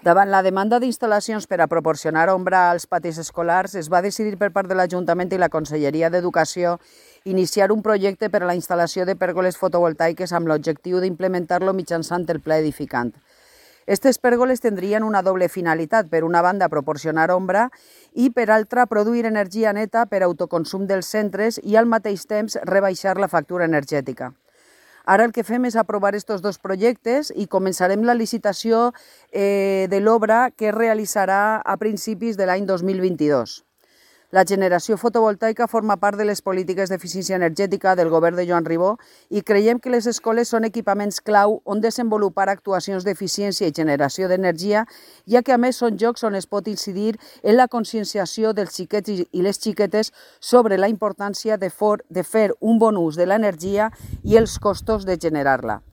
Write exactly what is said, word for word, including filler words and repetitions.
Davant la demanda d'instal·lacions per a proporcionar ombra als patis escolars, es va decidir per part de l'Ajuntament i la Conselleria d'Educació iniciar un projecte per a la instal·lació de pèrgoles fotovoltaiques amb l'objectiu d'implementar-lo mitjançant el Pla Edificant. Aquestes pèrgoles tindrien una doble finalitat: per una banda proporcionar ombra i per altra produir energia neta per autoconsum dels centres i al mateix temps rebaixar la factura energètica. Ara el que fem és aprovar aquests dos projectes i començarem la licitació eh, de l'obra que es realitzarà a principis de l'any dos mil vint-i-dos. La generació fotovoltaica forma part de les polítiques d'eficiència energètica del govern de Joan Ribó i creiem que les escoles són equipaments clau on desenvolupar actuacions d'eficiència i generació d'energia, ja que a més són llocs on es pot incidir en la conscienciació dels xiquets i les xiquetes sobre la importància de fer un bon ús de l'energia i els costos de generar-la.